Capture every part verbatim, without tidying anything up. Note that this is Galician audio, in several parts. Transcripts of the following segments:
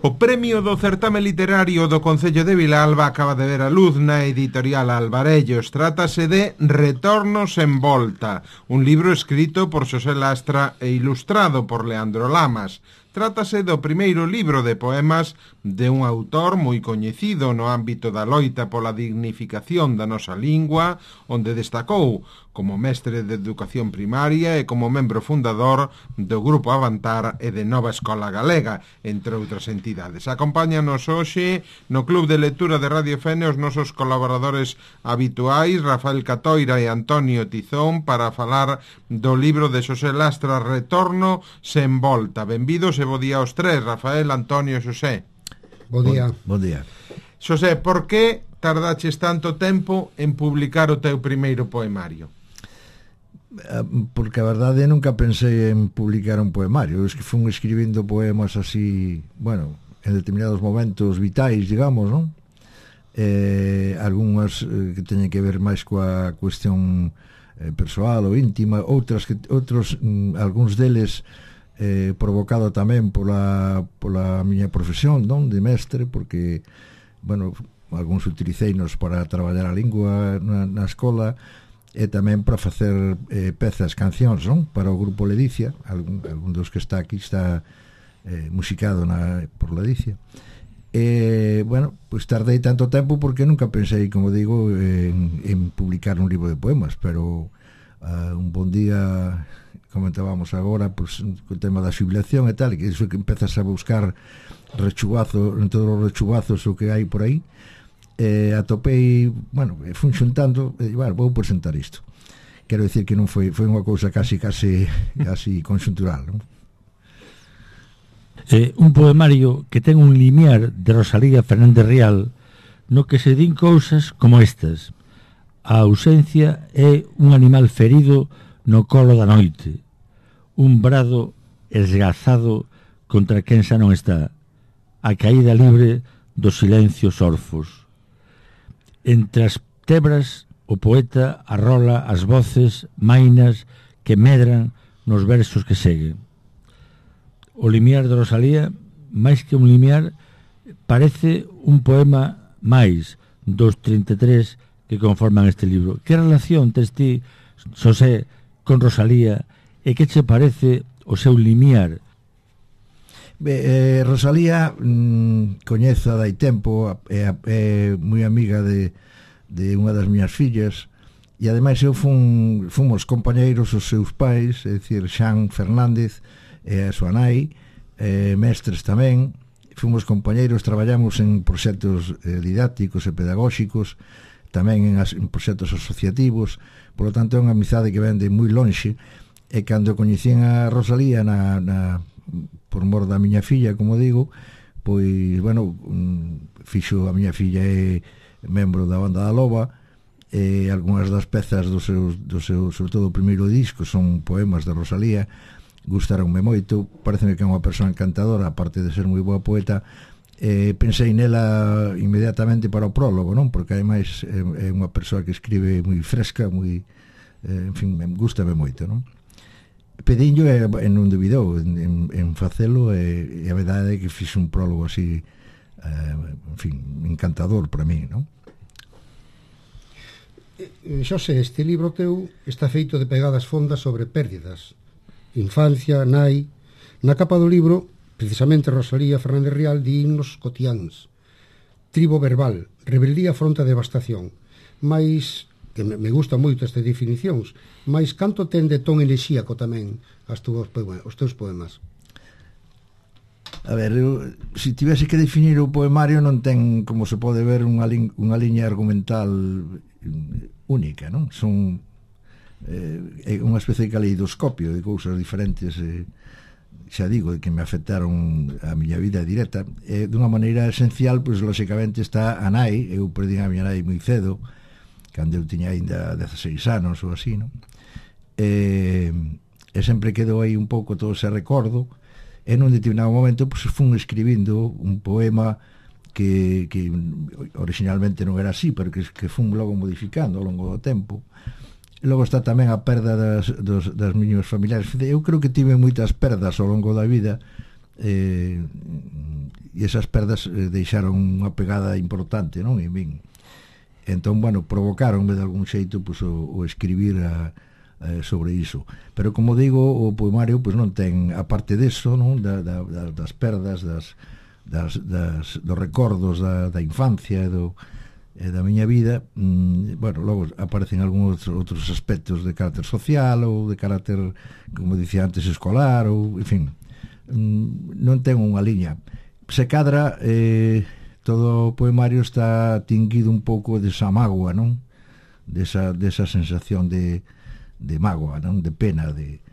O premio do certame literario do Concello de Vilalba acaba de ver a luz na editorial Alvarellos. Trátase de Retornos en Volta, un libro escrito por Xosé Lastra e ilustrado por Leandro Lamas. Trátase do primeiro libro de poemas de un autor moi coñecido no ámbito da loita pola dignificación da nosa lingua, onde destacou como mestre de educación primaria e como membro fundador do Grupo Avantar e de Nova Escola Galega, entre outras entidades. Acompáñanos hoxe no Club de Lectura de Radio Fene os nosos colaboradores habituais, Rafael Catoira e Antonio Tizón, para falar do libro de Xosé Lastra, Retorno sen Volta. Benvidos e bo día aos tres, Rafael, Antonio e Xosé. Bo día. Bo día. Xosé, por que tardaches tanto tempo en publicar o teu primeiro poemario? Porque a verdade nunca pensei en publicar un poemario. Es que fun escribindo poemas así, bueno, en determinados momentos vitais, digamos, non? Eh, algunhas eh, que teñen que ver máis coa cuestión eh, persoal ou íntima, outras que outros mm, algúns deles eh, provocado tamén pola pola miña profesión, non, de mestre, porque bueno, algúns utiliceinos para traballar a lingua na, na escola e tamén para facer eh, pezas, cancións, non? Para o grupo Ledicia, algún, algún dos que está aquí está eh, musicado na, por Ledicia. E, bueno, pois pues tardei tanto tempo porque nunca pensei, como digo, en, en publicar un libro de poemas, pero uh, un bon día, comentábamos agora, pues, co tema da xubilación e tal, que iso que empezas a buscar rechubazo, en todos os rechubazos o que hai por aí, eh, atopei, bueno, fun xuntando e, bueno, vou presentar isto. Quero dicir que non foi foi unha cousa casi casi así conxuntural, non? Eh, un poemario que ten un limiar de Rosalía Fernández Rial no que se din cousas como estas: a ausencia é un animal ferido no colo da noite, un brado esgazado contra quen xa non está, a caída libre dos silencios orfos. Entre as tebras o poeta arrola as voces mainas que medran nos versos que seguen. O limiar de Rosalía, máis que un limiar, parece un poema máis dos trinta e tres que conforman este libro. Que relación tes ti, Xosé, con Rosalía, e que che parece o seu limiar? Be, eh, Rosalía mm, coñezo dai tempo, é, é moi amiga de, de unha das miñas fillas, e ademais eu fun, fomos compañeiros os seus pais, é dicir, Xan Fernández e a súa nai, eh, mestres tamén, fomos compañeiros, traballamos en proxectos eh, didácticos e pedagóxicos, tamén en, as, en proxectos asociativos, por lo tanto é unha amizade que vende moi lonxe, e cando coñecín a Rosalía na, na por mor da miña filla, como digo, pois, bueno, fixo a miña filla é membro da Banda da Loba, e algunhas das pezas do seu, do seu, sobre todo o primeiro disco, son poemas de Rosalía, gustaronme moito, pareceme que é unha persoa encantadora, aparte de ser moi boa poeta. Eh, pensei nela inmediatamente para o prólogo, non? Porque ademais é, é unha persoa que escribe moi fresca, moi, eh, en fin, gustame moito, non? Pedinho e, e non duvidou en, en, en facelo, e, e a verdade é que fixe un prólogo así, eh, en fin, encantador para mí, non? Xosé, este libro teu está feito de pegadas fondas sobre pérdidas, infancia, nai. Na capa do libro, precisamente Rosalía Fernández Rial di himnos cotiáns, tribo verbal, rebeldía fronte a devastación. Mais, que me gusta moito estas definicións, mais canto ten de ton elexíaco tamén as tuas poemas, os teus poemas? A ver, eu, se tivese que definir o poemario, non ten, como se pode ver, unha, lin, unha liña argumental única, non? Son eh, unha especie de caleidoscopio de cousas diferentes, eh, xa digo, que me afectaron a miña vida directa. Eh, dunha maneira esencial, pois, lóxicamente, está a nai. Eu perdín a miña nai moi cedo, cando eu tiña ainda dezaseis anos ou así, non? E, e sempre quedou aí un pouco todo ese recordo, e nun determinado momento pois, fun escribindo un poema que, que originalmente non era así, pero que, que fun logo modificando ao longo do tempo. E logo está tamén a perda das, dos, das miños familiares. Eu creo que tive moitas perdas ao longo da vida, eh, e esas perdas eh, deixaron unha pegada importante, non, en min. Entón, bueno, provocaronme de algún xeito pues, o, o escribir a, a, sobre iso. Pero, como digo, o poemario pues, non ten, aparte deso, non, da, da, das perdas, das, das, das, dos recordos da, da infancia e do, e da miña vida, mmm, bueno, logo aparecen algúns outros aspectos de carácter social ou de carácter, como dicía antes, escolar, ou, en fin, mmm, non ten unha liña. Se cadra, eh, todo o poemario está tinguido un pouco desa mágoa, non? Desa, desa sensación de, de mágoa, non? De pena, de...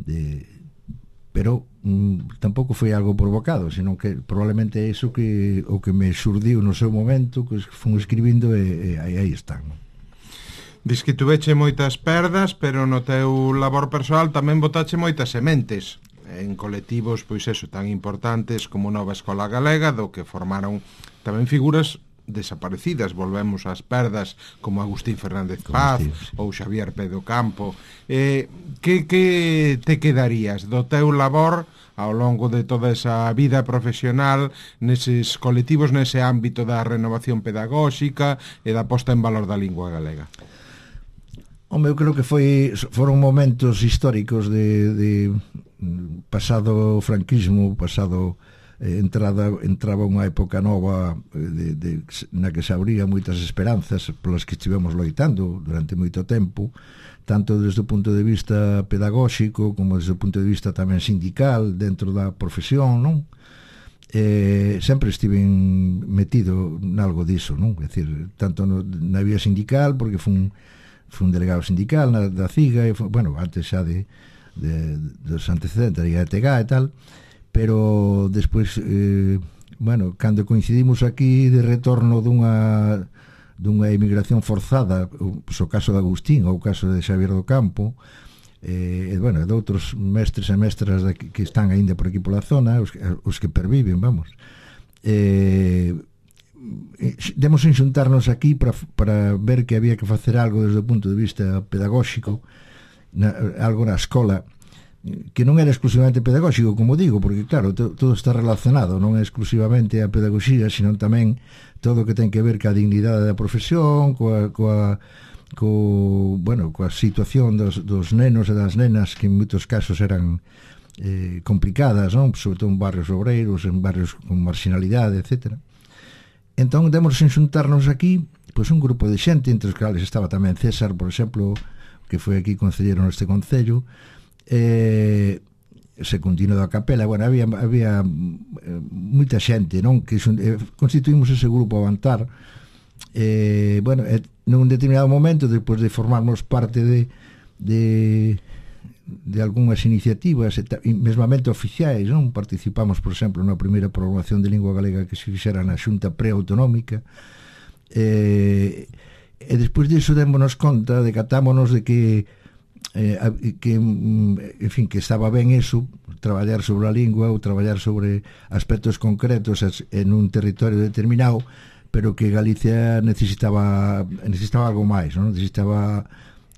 de pero mm, tampouco foi algo provocado, senón que probablemente é iso que o que me xurdiu no seu momento, que fun escribindo e, e aí, aí están, non? Diz que tuveche moitas perdas, pero no teu labor persoal tamén botache moitas sementes en colectivos, pois eso, tan importantes como Nova Escola Galega, do que formaron tamén figuras desaparecidas. Volvemos ás perdas como Agustín Fernández Paz ou Xavier Pedro Campo. Eh, que, que te quedarías do teu labor ao longo de toda esa vida profesional neses colectivos, nese ámbito da renovación pedagóxica e da posta en valor da lingua galega? Home, eu creo que foi foron momentos históricos de, de pasado o franquismo, pasado eh, entrada, entraba unha época nova de, de, na que se abría moitas esperanzas polas que estivemos loitando durante moito tempo, tanto desde o punto de vista pedagóxico como desde o punto de vista tamén sindical dentro da profesión, non? Eh, sempre estiven metido nalgo diso, non? É dicir, tanto no, na vía sindical, porque fun, fun delegado sindical na, da CIGA, e fun, bueno, antes xa de De, dos antecedentes de T G A e tal, pero despois eh, bueno, cando coincidimos aquí de retorno dunha dunha emigración forzada, o, pues, o caso de Agustín ou o caso de Xavier do Campo, eh, e bueno, de outros mestres e mestras de, que están aínda por aquí pola zona, os, os que perviven, vamos, eh, demos en xuntarnos aquí para, para ver que había que facer algo desde o punto de vista pedagóxico, na, algo na escola que non era exclusivamente pedagóxico, como digo, porque claro, to, todo está relacionado, non é exclusivamente a pedagogía, sino tamén todo o que ten que ver ca dignidade da profesión, coa, coa, co, bueno, coa situación dos, dos nenos e das nenas que en moitos casos eran eh, complicadas, non? Sobre todo en barrios obreiros, en barrios con marginalidade, etcétera. Entón, demos en xuntarnos aquí pois un grupo de xente, entre os que estaba tamén César, por exemplo, que foi aquí concellero neste concello, eh, secundino da Capela. Bueno, había, había eh, moita xente, non? Que eh, constituímos ese grupo Avantar, eh, bueno, eh, nun determinado momento, despois de formarmos parte de de, de algunhas iniciativas mesmamente oficiais, non? Participamos, por exemplo, na primeira programación de lingua galega que se fixera na Xunta Preautonómica, eh, e despois disso démonos conta, decatámonos de que eh, que, en fin, que estaba ben eso, traballar sobre a lingua ou traballar sobre aspectos concretos en un territorio determinado, pero que Galicia necesitaba necesitaba algo máis, non? Necesitaba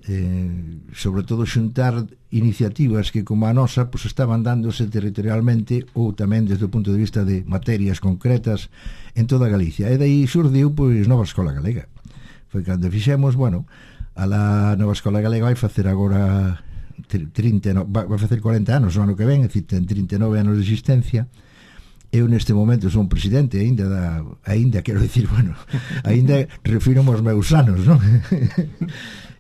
eh, sobre todo xuntar iniciativas que como a nosa pues, estaban dándose territorialmente ou tamén desde o punto de vista de materias concretas en toda Galicia, e daí xurdiu pois Nova Escola Galega. Foi cando fixemos, bueno, a la Nova Escola Galega vai facer agora trinta, vai facer cuarenta anos o ano que ven, é dicir, ten trinta e nove anos de existencia. Eu neste momento son presidente aínda da, aínda quero dicir, bueno, aínda refiro aos meus anos, non?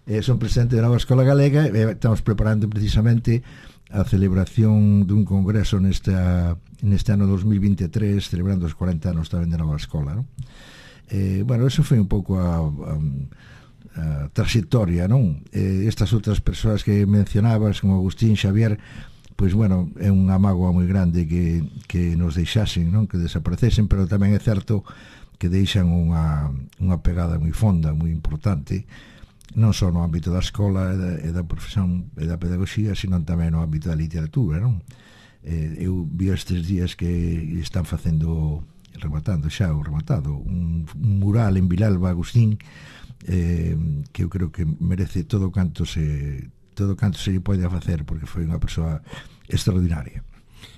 eh, son presidente da Nova Escola Galega e estamos preparando precisamente a celebración dun congreso nesta, neste ano dos mil vinte e tres, celebrando os cuarenta anos tamén da Nova Escola, non? Eh, bueno, eso foi un pouco a, a, a trayectoria, non? Eh, estas outras persoas que mencionabas, como Agustín, Xavier, pois, bueno, é unha mágoa moi grande que, que nos deixasen, non? Que desaparecesen, pero tamén é certo que deixan unha, unha pegada moi fonda, moi importante, non só no ámbito da escola e da, e da profesión e da pedagogía, sino tamén no ámbito da literatura, non? Eh, eu vi estes días que están facendo, rematando xa, o rematado, un, un mural en Vilalba, Agustín, eh, que eu creo que merece todo canto se todo canto se lle pode facer, porque foi unha persoa extraordinaria.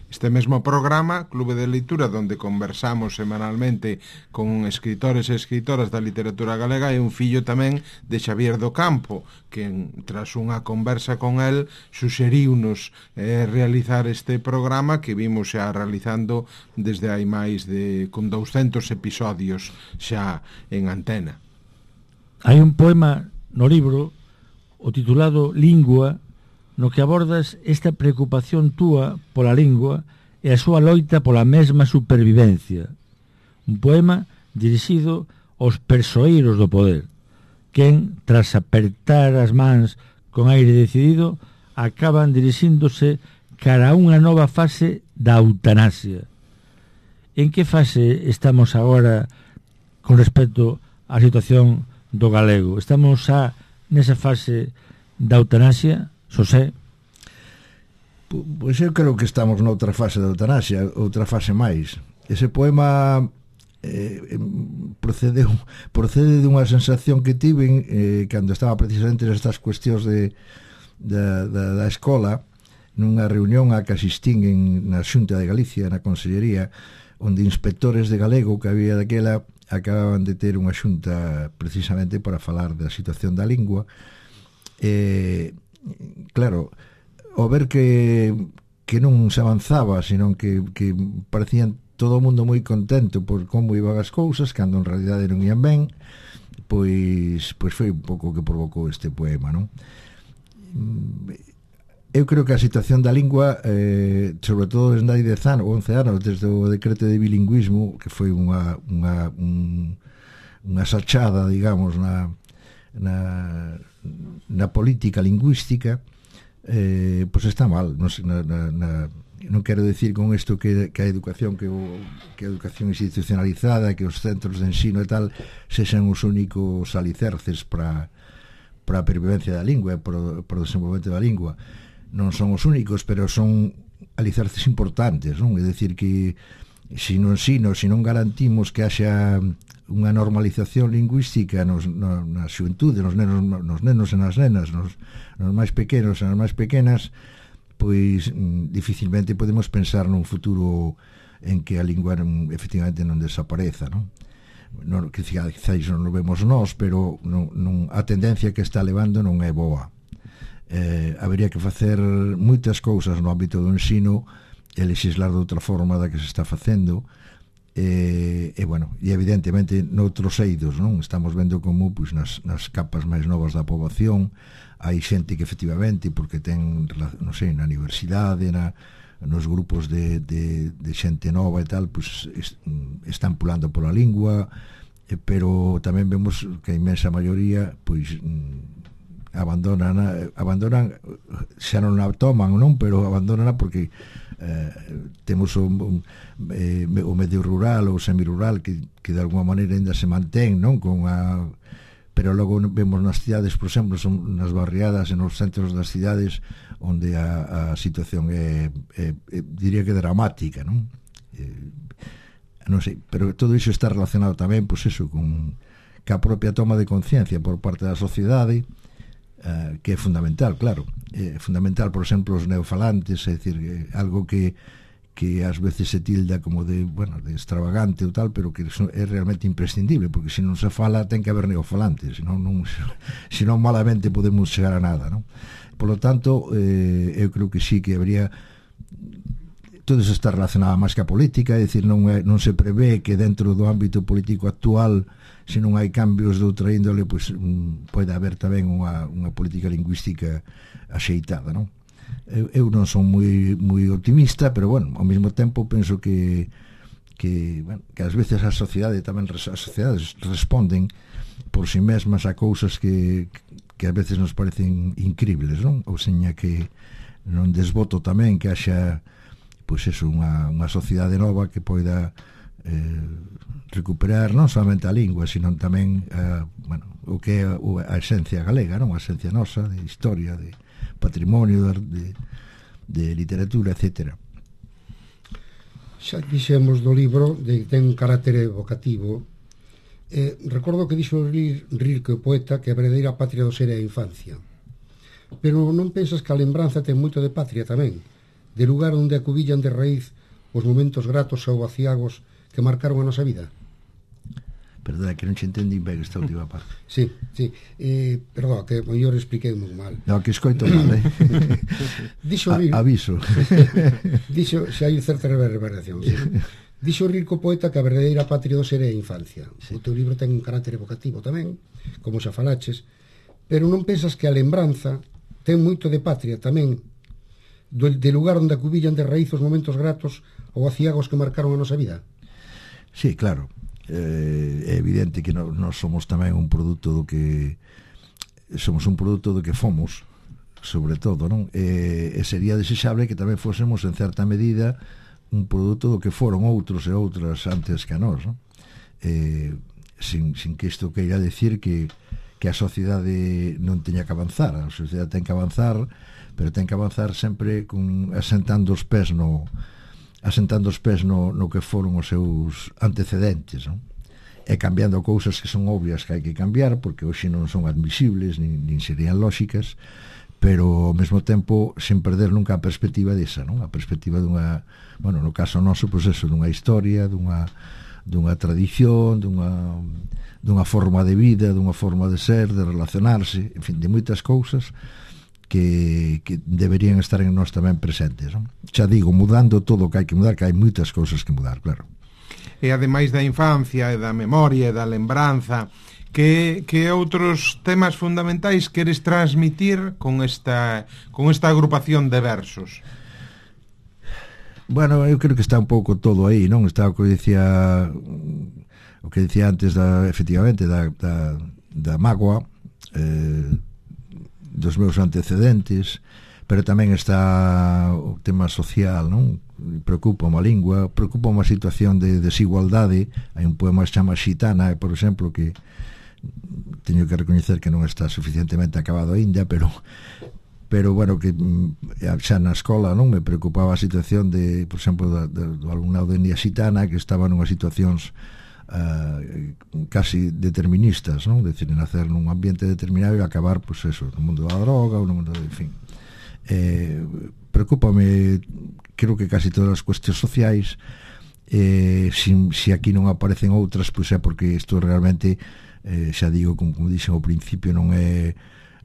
Este mesmo programa, Clube de Leitura, donde conversamos semanalmente con escritores e escritoras da literatura galega, é un fillo tamén de Xavier do Campo, que tras unha conversa con el suxeriunos eh, realizar este programa que vimos xa realizando desde hai máis de con douscentos episodios xa en antena. Hai un poema no libro, o titulado Lingua, no que abordas esta preocupación túa pola lingua e a súa loita pola mesma supervivencia. Un poema dirixido aos persoeiros do poder, quen, tras apertar as mans con aire decidido, acaban dirixíndose cara a unha nova fase da eutanasia. En que fase estamos agora con respecto á situación do galego? Estamos xa nesa fase da eutanasia, Xosé? Pois eu creo que estamos noutra fase da eutanasia, outra fase máis. Ese poema eh, procede, procede dunha sensación que tiven eh, cando estaba precisamente nestas cuestións de, da, da, da escola, nunha reunión a que asistín en, na Xunta de Galicia, na Consellería, onde inspectores de galego que había daquela acababan de ter unha xunta precisamente para falar da situación da lingua. Eh, claro, ao ver que, que non se avanzaba, senón que, que parecían todo o mundo moi contento por como iban as cousas, cando en realidade non ian ben, pois, pois foi un pouco que provocou este poema, non? Eu creo que a situación da lingua, eh, sobre todo desde hai dez anos, once anos, desde o decreto de bilingüismo, que foi unha, unha, un, unha sachada, digamos, na, na, na política lingüística, eh, pois está mal. Non, na, na, na, non quero decir con isto que, que a educación que, o, que a educación institucionalizada, que os centros de ensino e tal sexan os únicos alicerces para para a pervivencia da lingua e para o desenvolvemento da lingua. Non son os únicos, pero son alicerces importantes, non? É dicir que se no ensino, se non garantimos que haxa unha normalización lingüística nos, no, na xuventude, nos nenos, nos nenos e nas nenas, nos, nos máis pequenos e nas máis pequenas, pois mm, dificilmente podemos pensar nun futuro en que a lingua non, efectivamente non desapareza, non? Non, que quizáis non o vemos nós, pero non, non, a tendencia que está levando non é boa. Eh, habería que facer moitas cousas no ámbito do ensino e legislar de outra forma da que se está facendo. E, e bueno, e evidentemente noutros eidos, non? Estamos vendo como pois, nas, nas capas máis novas da poboación hai xente que efectivamente, porque ten, non sei, na universidade, na, nos grupos de, de, de xente nova e tal, pois est, están pulando pola lingua, eh, pero tamén vemos que a inmensa maioría pois abandonan, abandonan, xa non a toman, non? Pero abandonan porque eh, temos o, un, eh, o medio rural ou semirural que, que de alguma maneira ainda se mantén, non? Con a, pero logo vemos nas cidades, por exemplo, son nas barriadas e nos centros das cidades onde a, a situación é, é, é diría que dramática, non? Eh, non sei, pero todo iso está relacionado tamén, pois eso, con ca propia toma de conciencia por parte da sociedade, Uh, que é fundamental, claro. É fundamental, por exemplo, os neofalantes, é dicir, é algo que que ás veces se tilda como de, bueno, de extravagante ou tal, pero que é realmente imprescindible, porque se non se fala ten que haber neofalantes, senón, non, senón malamente podemos chegar a nada, non? Por lo tanto, eh, eu creo que sí que habría, todo iso está relacionado máis que a política, é dicir, non, é, non se prevé que dentro do ámbito político actual, se non hai cambios de outra índole, pois um, pode haber tamén unha, unha política lingüística axeitada, non? Eu, eu non son moi moi optimista, pero bueno, ao mesmo tempo penso que que, bueno, que ás veces a sociedade tamén as sociedades responden por si mesmas a cousas que que ás veces nos parecen incribles, non? Ou seña que non desboto tamén que haxa pois eso, unha, unha sociedade nova que poida eh, recuperar non somente a lingua, sino tamén a, bueno, o que é a, a esencia galega, non? A esencia nosa, de historia, de patrimonio, de, de literatura, etcétera. Xa dixemos do libro de que ten un carácter evocativo. Eh, recordo que dixo Rilke, o poeta, que a verdadeira patria do ser é a infancia. Pero non pensas que a lembranza ten moito de patria tamén? de lugar onde acubillan de raíz os momentos gratos ou vaciagos que marcaron a nosa vida. Perdona, que non che entendín ben esta última parte. Sí, sí, eh, perdón, que eu expliquei moi mal. No, que escoito mal, eh? Dixo rir, A, aviso. Dixo, se hai certa reverberación, sí. Dixo o rico poeta que a verdadeira patria do ser é a infancia. Sí. O teu libro ten un carácter evocativo tamén, como xa falaches, pero non pensas que a lembranza ten moito de patria tamén, do, de lugar onde acubillan de raíz os momentos gratos ou aciagos que marcaron a nosa vida? Sí, claro. Eh, é evidente que nós, nós somos tamén un produto do que somos un produto do que fomos, sobre todo, non? E, e sería desexable que tamén fósemos en certa medida un produto do que foron outros e outras antes que a nós, non? Eh, sin, sin que isto queira decir que, que a sociedade non teña que avanzar. A sociedade ten que avanzar, pero ten que avanzar sempre con, asentando os pés no asentando os pés no, no que foron os seus antecedentes, non? E cambiando cousas que son obvias que hai que cambiar, porque hoxe non son admisibles nin, nin serían lóxicas, pero ao mesmo tempo sen perder nunca a perspectiva desa, non? A perspectiva dunha, bueno, no caso noso, pois eso, dunha historia, dunha dunha tradición, dunha dunha forma de vida, dunha forma de ser, de relacionarse, en fin, de moitas cousas que, que deberían estar en nós tamén presentes, non? Xa digo, mudando todo o que hai que mudar, que hai moitas cousas que mudar, claro. E ademais da infancia e da memoria e da lembranza, que, que outros temas fundamentais queres transmitir con esta, con esta agrupación de versos? Bueno, eu creo que está un pouco todo aí, non? Está o que dicía o que dicía antes da, efectivamente, da, da, da mágoa, eh, dos meus antecedentes, pero tamén está o tema social, non? Preocupa a lingua, preocupa a situación de desigualdade. Hai un poema que se chama Xitana, por exemplo, que teño que recoñecer que non está suficientemente acabado aínda, pero pero bueno, que xa na escola non me preocupaba a situación de, por exemplo, da, da, do alumnado de etnia xitana que estaba nunhas situacións uh, casi deterministas, non? De decir, nacer nun ambiente determinado e acabar, pois pues eso, no mundo da droga ou no mundo de, en fin. Eh, preocúpame, creo que casi todas as cuestións sociais, eh, si, si aquí non aparecen outras, pois pues é porque isto realmente, eh, xa digo, como, como dixen ao principio, non é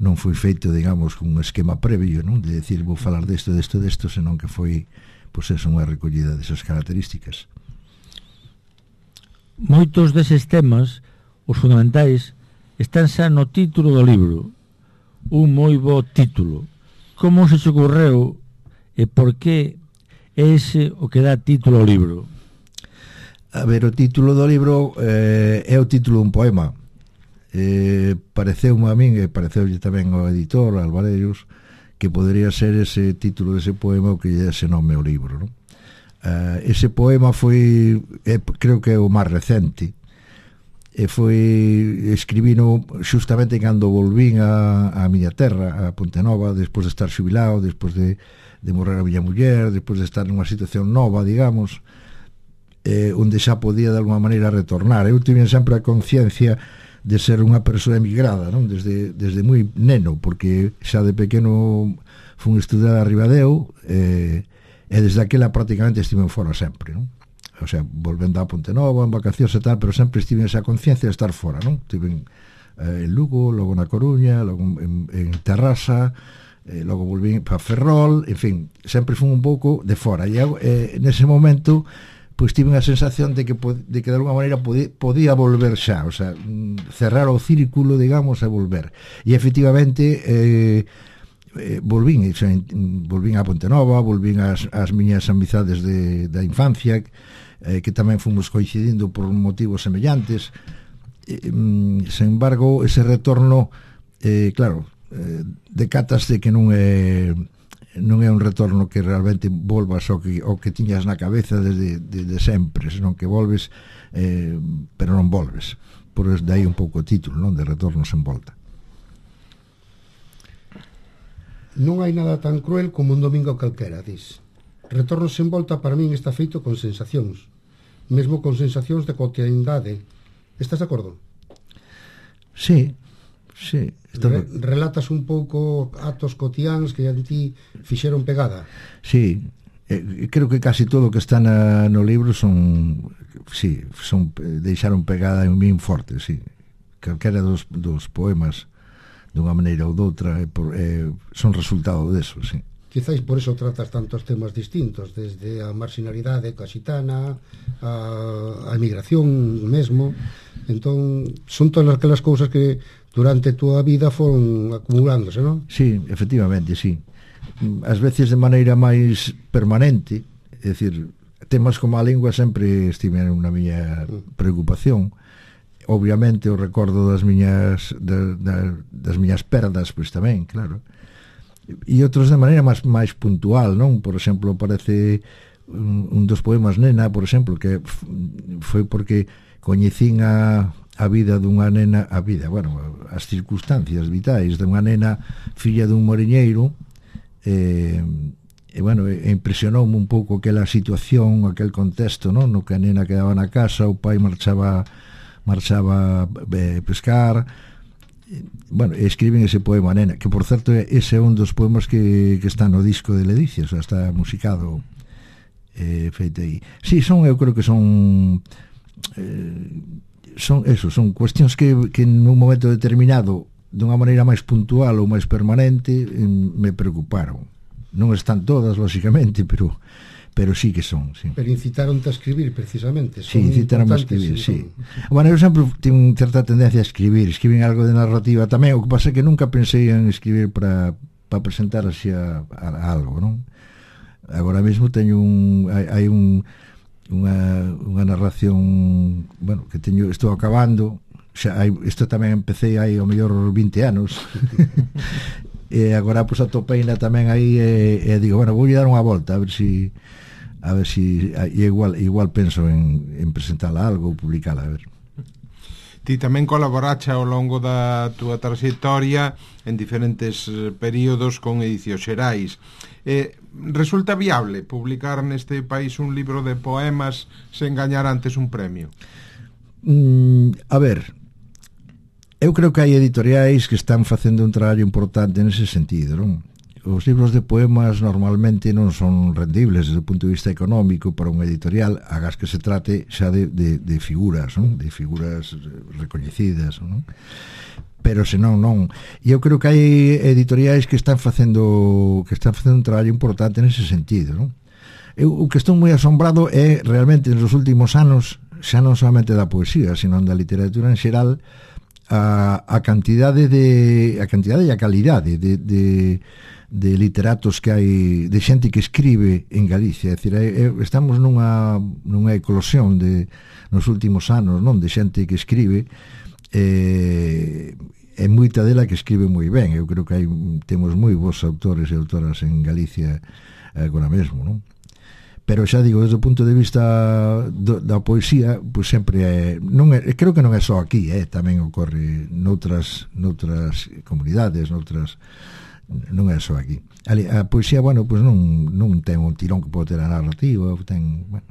non foi feito, digamos, con un esquema previo, non? De decir, vou falar desto, desto, desto, senón que foi, pois pues eso, unha recollida desas características. Moitos deses temas, os fundamentais, están xa no título do libro. Un moi bo título. Como se te ocorreu e por que é ese o que dá título ao libro? A ver, o título do libro eh, é o título dun poema. Eh, pareceume a min e pareceulle tamén ao editor Alvarellos que podría ser ese título dese poema o que lle ese nome ao libro, non? Uh, ese poema foi eh, creo que é o máis recente e foi escribino xustamente cando volvín a, a miña terra, a Pontenova, despois de estar xubilado, despois de, de morrer a miña muller, despois de estar nunha situación nova, digamos, eh, onde xa podía de alguma maneira retornar. Eu tive sempre a conciencia de ser unha persoa emigrada, non? Desde, desde moi neno, porque xa de pequeno fun estudar a Ribadeo eh, e desde aquela prácticamente estive fora sempre, non? O sea, volvendo a Pontenova en vacacións e tal, pero sempre estive esa conciencia de estar fora, non? Estive en, eh, en Lugo, logo na Coruña, logo en, en Terrassa, eh, logo volví para Ferrol, en fin, sempre fun un pouco de fora e eh, nese momento pois tive unha sensación de que de que de alguma maneira podía, podía volver xa, o sea, cerrar o círculo, digamos, e volver. E efectivamente eh, eh, volvín, o sea, volvín a Pontenova, volvín as, as miñas amizades de, da infancia, eh, que tamén fomos coincidindo por motivos semellantes. Eh, sen embargo, ese retorno, eh, claro, eh, decataste que non é non é un retorno que realmente volvas ao que, ao que tiñas na cabeza desde, desde sempre, senón que volves eh, pero non volves, por de aí un pouco o título, non? De retorno sen volta. Non hai nada tan cruel como un domingo calquera, dis. Retorno sen volta para min está feito con sensacións, mesmo con sensacións de cotidianidade. Estás de acordo? Sí, sí. Re, relatas un pouco actos cotiáns que a ti fixeron pegada. Sí, eh, creo que casi todo o que está na, no libro son, sí, son deixaron pegada en min forte, sí. Calquera dos, dos poemas dunha maneira ou doutra eh, por, eh, son resultado deso, sí. Quizáis por eso tratas tantos temas distintos, desde a marginalidade casitana, a, a emigración mesmo. Entón, son todas aquelas cousas que durante a túa vida foron acumulándose, non? Sí, efectivamente, sí. Ás veces de maneira máis permanente, é dicir, temas como a lingua sempre estiveron na miña preocupación. Obviamente o recordo das miñas da, da, das miñas perdas, pois tamén, claro. E outros de maneira máis, máis puntual, non? Por exemplo, parece un, un dos poemas Nena, por exemplo, que foi porque coñecín a, a vida dunha nena, a vida, bueno, as circunstancias vitais dunha nena filla dun mariñeiro, e, e bueno, e impresionoume un pouco aquela situación, aquel contexto, non? No que a nena quedaba na casa, o pai marchaba marchaba a pescar. Bueno, escriben ese poema Nena, que por certo ese é un dos poemas que, que está no disco de Ledicia, o sea, está musicado, eh, feito aí. Sí, son, eu creo que son eh, son eso, son cuestións que, que nun momento determinado, dunha maneira máis puntual ou máis permanente, eh, me preocuparon. Non están todas, lóxicamente, pero pero sí que son, sí. Pero incitaronte a escribir, precisamente. Sí, incitaron a escribir, sí. Bueno, eu sempre tenho certa tendencia a escribir, escribir algo de narrativa tamén, o que pasa é que nunca pensei en escribir para para presentar así a, a, a algo, non? Agora mesmo teño un hai, hai un unha, unha narración, bueno, que teño, estou acabando, xa hai, isto tamén empecé hai ao mellor vinte anos. E agora pois atopeina tamén aí e, e digo, bueno, vou dar unha volta a ver si a ver si e igual igual penso en, en presentala algo ou publicala, a ver. Ti tamén colaborache ao longo da túa trayectoria en diferentes períodos con Edicións Xerais. Eh, resulta viable publicar neste país un libro de poemas sen gañar antes un premio? Mm, a ver, eu creo que hai editoriais que están facendo un traballo importante nese sentido, non? Os libros de poemas normalmente non son rendibles desde o punto de vista económico para un editorial, agás que se trate xa de, de, de figuras, non? De figuras recoñecidas, non? Pero senón non. E eu creo que hai editoriais que están facendo que están facendo un traballo importante nese sentido, non? Eu o que estou moi asombrado é realmente nos últimos anos, xa non solamente da poesía, sino da literatura en xeral, a, a cantidade de a cantidade e a calidade de, de, de literatos que hai, de xente que escribe en Galicia. É dicir, estamos nunha, nunha eclosión de, nos últimos anos, non, de xente que escribe, e, e moita dela que escribe moi ben. Eu creo que hai, temos moi bons autores e autoras en Galicia agora mesmo, non? Pero xa digo, desde o punto de vista do, da poesía, pois sempre é, non é, creo que non é só aquí, eh, tamén ocorre noutras noutras comunidades, noutras, non é só aquí. A, a poesía, bueno, pois non non ten un tirón que pode ter a narrativa, ten, bueno,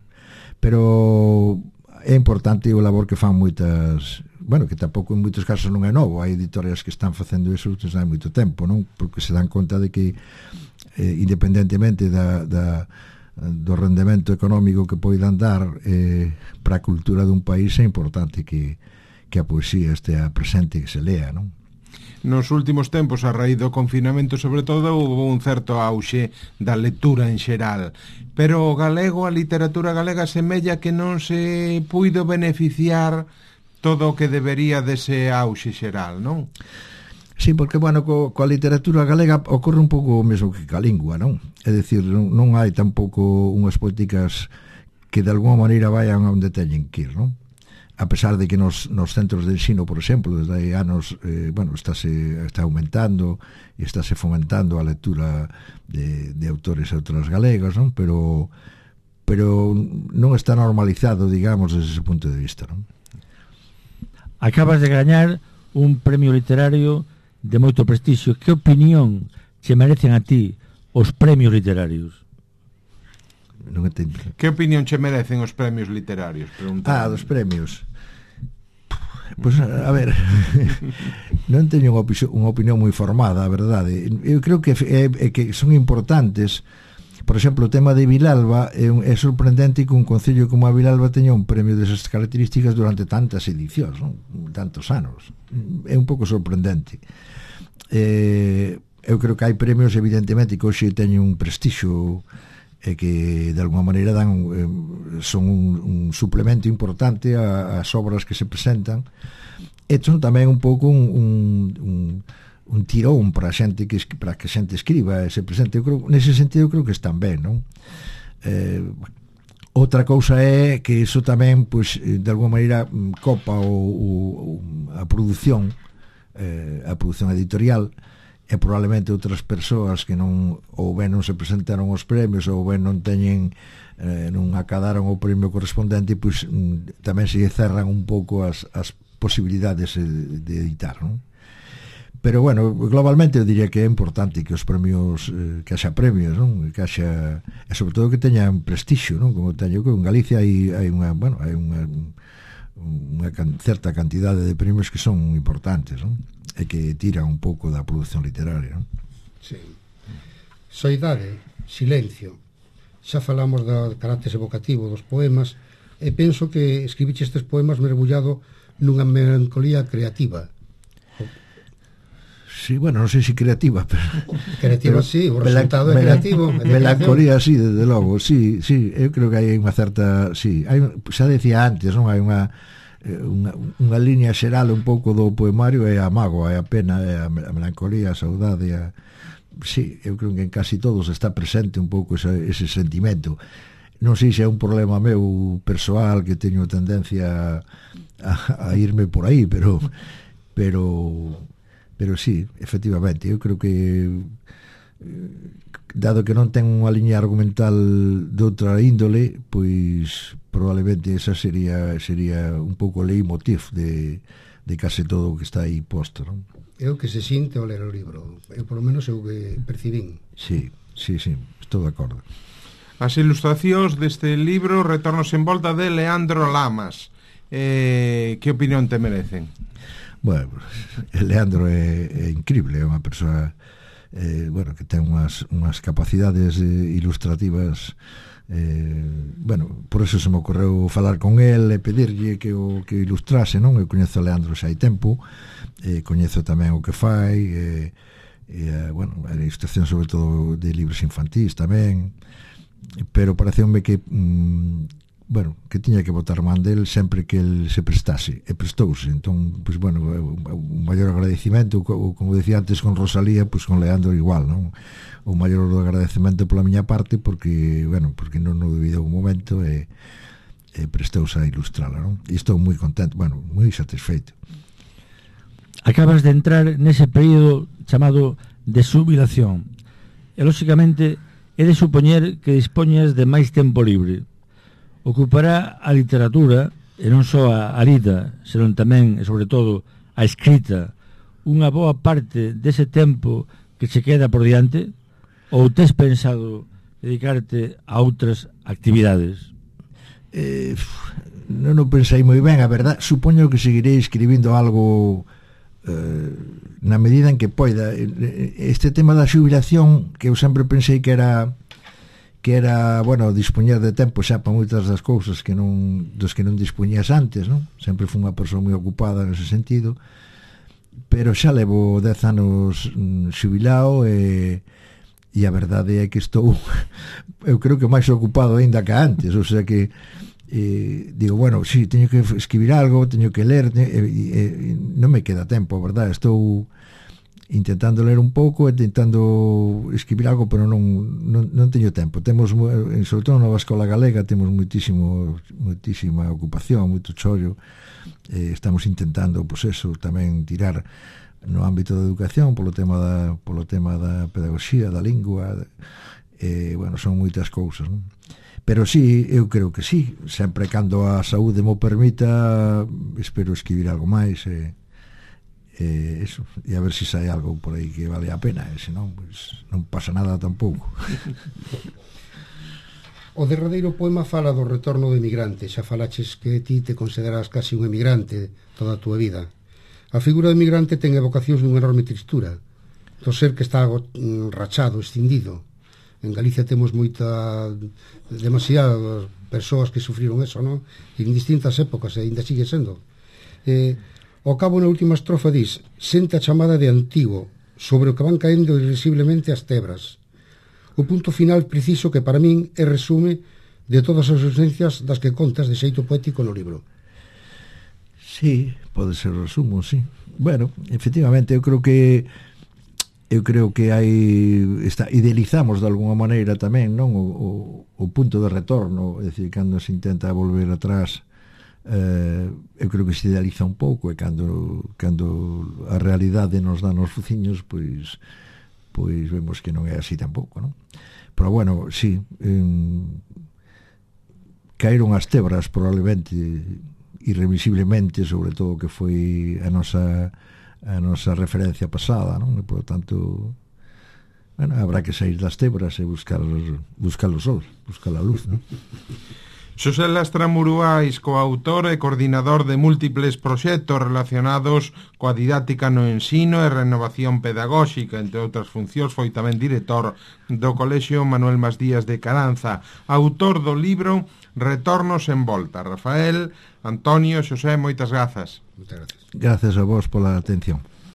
pero é importante o labor que fan moitas, bueno, que tampouco en moitos casos non é novo, hai editorias que están facendo iso desde hai moito tempo, non? Porque se dan conta de que eh, independentemente da, da do rendemento económico que poidan dar eh, para a cultura dun país, é importante que, que a poesía estea presente e que se lea, non? Nos últimos tempos, a raíz do confinamento, sobre todo, houve un certo auxe da lectura en xeral, pero o galego, a literatura galega, semella que non se puido beneficiar todo o que debería dese auxe xeral, non? Sí, porque, bueno, co, coa literatura galega ocorre un pouco o mesmo que ca lingua, non? É dicir, non, non hai tampouco unhas políticas que de alguma maneira vayan a onde teñen que ir, non? A pesar de que nos, nos centros de ensino, por exemplo, desde hai anos, eh, bueno, estáse, está aumentando e estáse fomentando a lectura de, de autores e autoras galegas, non? Pero, pero non está normalizado, digamos, desde ese punto de vista, non? Acabas de gañar un premio literario de moito prestixio. Que opinión che merecen a ti os premios literarios? Non entendo. Que opinión che merecen os premios literarios? Ah, dos premios. Pois, pues, a ver, non teño unha opinión, unha opinión moi formada, a verdade. Eu creo que é, é que son importantes por exemplo, o tema de Vilalba é, un, é sorprendente que un concello como a Vilalba teña un premio desas características durante tantas edicións, non? Tantos anos. É un pouco sorprendente. Eh, eu creo que hai premios, evidentemente, que hoxe teñen un prestixio e que de alguma maneira dan eh, son un, un suplemento importante ás obras que se presentan, e son tamén un pouco un, un, un un tirón para a xente que para que a xente escriba e se presente. Eu creo, nese sentido creo que están ben, non? Eh, outra cousa é que iso tamén, pois, de alguma maneira copa o, o, a produción eh, a produción editorial, e probablemente outras persoas que non ou ben non se presentaron aos premios ou ben non teñen eh, non acadaron o premio correspondente, pois tamén se cerran un pouco as, as posibilidades de, de editar, non? Pero, bueno, globalmente eu diría que é importante que os premios, eh, que haxa premios, non? Que haxa, e sobre todo que teñan prestixio, non? Como teño que en Galicia hai, hai unha, bueno, hai unha, unha can, certa cantidade de premios que son importantes, non? E que tiran un pouco da produción literaria, non? Sí. Soidade, silencio. Xa falamos do carácter evocativo dos poemas, e penso que escribiche estes poemas mergullado nunha melancolía creativa. Sí, bueno, non sei se creativa, pero creativa, pero, sí, o resultado é creativo, melancolía, sí, desde logo, sí, sí, eu creo que hai unha certa, sí, hai, xa decía antes, non, hai unha unha, unha línea xeral un pouco do poemario, é a mágoa, é a pena, é a melancolía, a saudade, a, sí, eu creo que en casi todos está presente un pouco ese, ese sentimento. Non sei se é un problema meu persoal, que teño tendencia a, a irme por aí, pero pero pero sí, efectivamente, eu creo que dado que non ten unha liña argumental de outra índole, pois probablemente esa sería sería un pouco o leitmotiv de, de case todo o que está aí posto, non? É o que se sinte ao ler o libro, eu polo menos eu que percibín. Sí, sí, sí, estou de acordo. As ilustracións deste libro Retornos en volta de Leandro Lamas, eh, que opinión te merecen? Bueno, Leandro é, é increíble, é unha persoa eh, bueno, que ten unhas, unhas capacidades eh, ilustrativas, eh, bueno, por eso se me ocorreu falar con el e pedirlle que o que ilustrase, non? Eu coñezo a Leandro xa hai tempo, eh, coñezo tamén o que fai, eh, eh, bueno, a ilustración sobre todo de libros infantís tamén, pero pareceume que mm, bueno, que tiña que botar man del sempre que el se prestase, e prestouse. Entón, pois, bueno, un maior agradecimento, como decía antes con Rosalía, pois con Leandro igual, non? O maior agradecemento pola miña parte, porque, bueno, porque non o debido un momento e, e prestouse a ilustrala, non? E estou moi contento, bueno, moi satisfeito. Acabas de entrar nese período chamado de xubilación, e, lóxicamente, é de supoñer que dispoñas de máis tempo libre. Ocupará a literatura, e non só a, a lida, senón tamén, e sobre todo, a escrita, unha boa parte dese tempo que se queda por diante, ou tes pensado dedicarte a outras actividades? Eh, non o pensei moi ben, a verdad. Supoño que seguirei escribindo algo eh, na medida en que poida. Este tema da xubilación, que eu sempre pensei que era que era, bueno, dispoñer de tempo xa para moitas das cousas que non, dos que non dispoñías antes, non? Sempre fui unha persoa moi ocupada nese sentido, pero xa levo dez anos xubilado e, e a verdade é que estou eu creo que máis ocupado aínda que antes, o sea que eh, digo, bueno, sí, teño que escribir algo, teño que ler, e, e, e non me queda tempo, a verdade, estou intentando ler un pouco, intentando escribir algo, pero non, non, non teño tempo. Temos, sobre todo na Nova Escola Galega, temos muitísimo, muitísima ocupación, moito chollo. Eh, estamos intentando, pois eso, tamén tirar no ámbito da educación, polo tema da, polo tema da pedagogía, da lingua, eh, bueno, son moitas cousas, non? Pero sí, eu creo que sí, sempre cando a saúde mo permita, espero escribir algo máis, e eh, Eh, eso, e a ver se si sai algo por aí que vale a pena, e senón, pois, non pasa nada tampouco. O derradeiro poema fala do retorno do emigrante. Xa falaches que ti te consideras casi un emigrante toda a túa vida. A figura do emigrante ten evocacións dunha enorme tristura, do ser que está rachado, escindido. En Galicia temos moita, demasiadas persoas que sufriron eso, non? En distintas épocas, e ainda sigue sendo. Eh, ao cabo, na última estrofa, dis: sente a chamada de antigo, sobre o que van caendo irresiblemente as tebras. O punto final preciso que para min é resume de todas as ausencias das que contas de xeito poético no libro. Sí, pode ser resumo, sí. Bueno, efectivamente, eu creo que eu creo que hai está, idealizamos de alguna maneira tamén, non, o, o, o punto de retorno, é dicir, cando se intenta volver atrás, eh, eu creo que se idealiza un pouco, e cando cando a realidade nos dá nos fuciños, pois pois vemos que non é así tampouco, non? Pero bueno, sí, eh, caeron as tebras probablemente irremisiblemente, sobre todo que foi a nosa a nosa referencia pasada, non? E, por lo tanto, bueno, habrá que sair das tebras e buscar buscar o sol, buscar a luz, non? Xosé Lastra Muruais, coautor e coordinador de múltiples proxectos relacionados coa didáctica no ensino e renovación pedagóxica, entre outras funcións, foi tamén director do Colexio Manuel Masdías de Caranza, autor do libro Retornos en Volta. Rafael, Antonio, Xosé, moitas grazas. Moitas gracias. Gracias a vos pola atención.